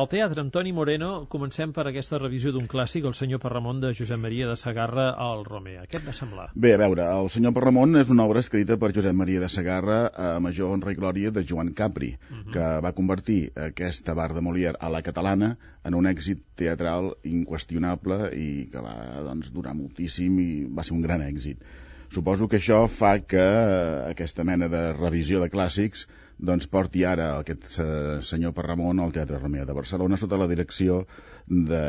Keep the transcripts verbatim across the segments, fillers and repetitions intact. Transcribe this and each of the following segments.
Al teatre, amb Toni Moreno, comencem per aquesta revisió d'un clàssic, El senyor Parramon, de Josep Maria de Sagarra al Romea. Què et va semblar? Bé, a veure, El senyor Parramon és una obra escrita per Josep Maria de Sagarra a major honra i glòria de Joan Capri, uh -huh. que va convertir aquesta bar de Molière a la catalana en un èxit teatral inqüestionable i que va doncs, durar moltíssim i va ser un gran èxit. Suposo que això fa que eh, aquesta mena de revisió de clàssics doncs porti ara aquest eh, senyor Parramon al Teatre Romea de Barcelona sota la direcció de...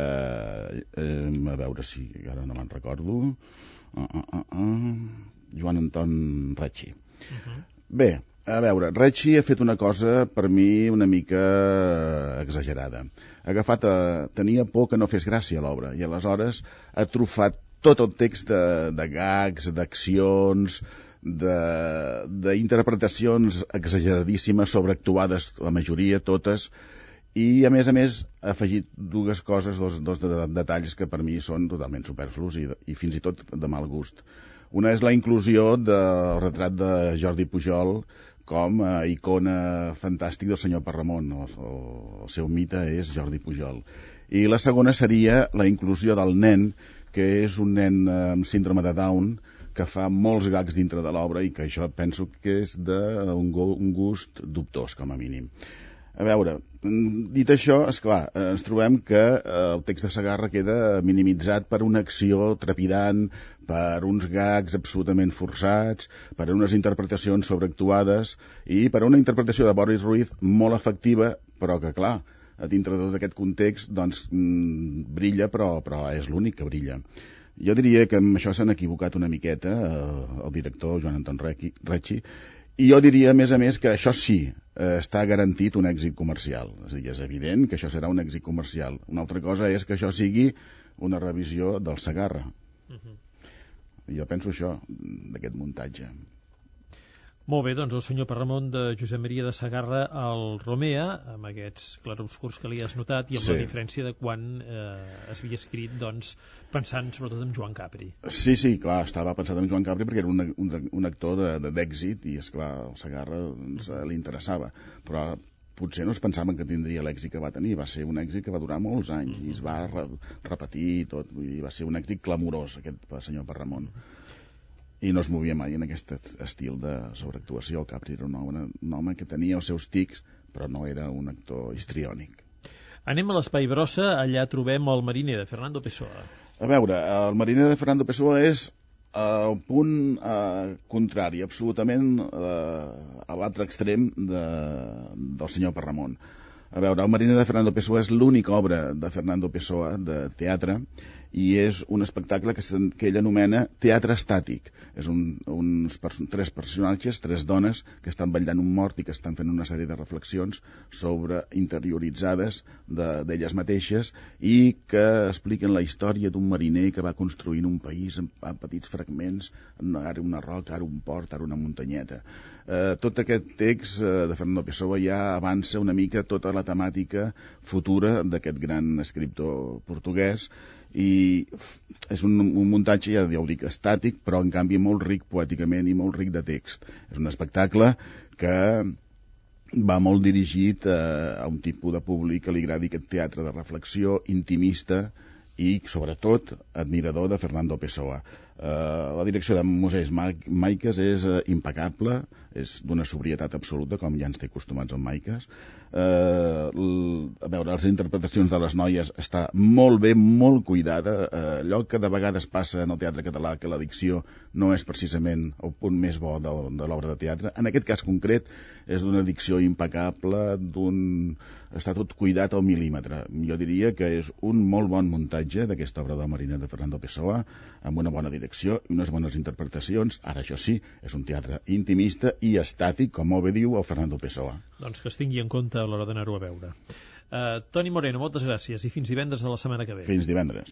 Eh, a veure si ara no me'n recordo... Uh, uh, uh, uh, Joan Anton Recci. Uh -huh. Bé, a veure, Recci ha fet una cosa per mi una mica exagerada. Ha agafat a... Tenia por que no fes gràcia l'obra i aleshores ha trufat tot el text de, de gags, d'accions, d'interpretacions exageradíssimes, sobreactuades, la majoria, totes, i a més a més ha afegit dues coses, dos, dos detalls que per mi són totalment superflus i, i fins i tot de mal gust. Una és la inclusió del retrat de Jordi Pujol com a icona fantàstic del senyor Parramon. El, el seu mite és Jordi Pujol. I la segona seria la inclusió del nen, que és un nen amb síndrome de Down, que fa molts gags dintre de l'obra i que això penso que és d'un un gust dubtós, com a mínim. A veure, dit això, esclar, ens trobem que el text de Sagarra queda minimitzat per una acció trepidant, per uns gags absolutament forçats, per unes interpretacions sobreactuades i per una interpretació de Boris Ruiz molt efectiva, però que, clar, a dintre de tot aquest context, doncs, mmm, brilla, però, però és l'únic que brilla. Jo diria que amb això s'han equivocat una miqueta eh, el director Joan Anton Recci, i jo diria, a més a més, que això sí, eh, està garantit un èxit comercial. És a dir, és evident que això serà un èxit comercial. Una altra cosa és que això sigui una revisió del Sagarra. Uh -huh. Jo penso això, d'aquest muntatge. Molt bé, doncs el senyor Parramon de Josep Maria de Sagarra al Romea, amb aquests clarobscurs que li has notat i amb sí. la diferència de quan eh, es havia escrit, doncs, pensant sobretot en Joan Capri. Sí, sí, clar, estava pensat en Joan Capri perquè era un, un, un actor d'èxit i, esclar, el Sagarra doncs, li interessava, però potser no es pensaven que tindria l'èxit que va tenir. Va ser un èxit que va durar molts anys mm -hmm. i es va re repetir tot, i va ser un èxit clamorós, aquest senyor Parramon. I no es movia mai en aquest estil de sobreactuació. El Capri era un home, un home que tenia els seus tics, però no era un actor histriònic. Anem a l'Espai Brossa, allà trobem el Mariner, de Fernando Pessoa. A veure, el Mariner de Fernando Pessoa és el punt eh, contrari, absolutament eh, a l'altre extrem de, del senyor Parramon. A veure, el Mariner de Fernando Pessoa és l'única obra de Fernando Pessoa de teatre i és un espectacle que, que ell anomena teatre estàtic. És un, uns perso tres personatges, tres dones, que estan vetllant un mort i que estan fent una sèrie de reflexions sobre interioritzades d'elles de, mateixes i que expliquen la història d'un mariner que va construint un país en, en petits fragments, ara una roca, ara un port, ara una muntanyeta. Eh, tot aquest text eh, de Fernando Pessoa ja avança una mica tota la temàtica futura d'aquest gran escriptor portuguès i és un, un muntatge, ja ho dic, estàtic, però en canvi molt ric poèticament i molt ric de text. És un espectacle que va molt dirigit a, a un tipus de públic que li agradi aquest teatre de reflexió, intimista i, sobretot, admirador de Fernando Pessoa. Uh, la direcció de Moisès Maicas és uh, impecable, és d'una sobrietat absoluta, com ja ens té acostumats amb Maicas. Uh, a veure, les interpretacions de les noies està molt bé, molt cuidada. Uh, allò que de vegades passa en el teatre català, que la dicció no és precisament el punt més bo de, de l'obra de teatre. En aquest cas concret és d'una dicció impecable, d'un... està tot cuidat al mil·límetre. Jo diria que és un molt bon muntatge d'aquesta obra del Mariner de Fernando Pessoa, amb una bona direcció i unes bones interpretacions. Ara, això sí, és un teatre intimista i estàtic, com molt bé diu el Fernando Pessoa. Doncs que es tingui en compte a l'hora d'anar-ho a veure. Uh, Toni Moreno, moltes gràcies i fins divendres de la setmana que ve. Fins divendres.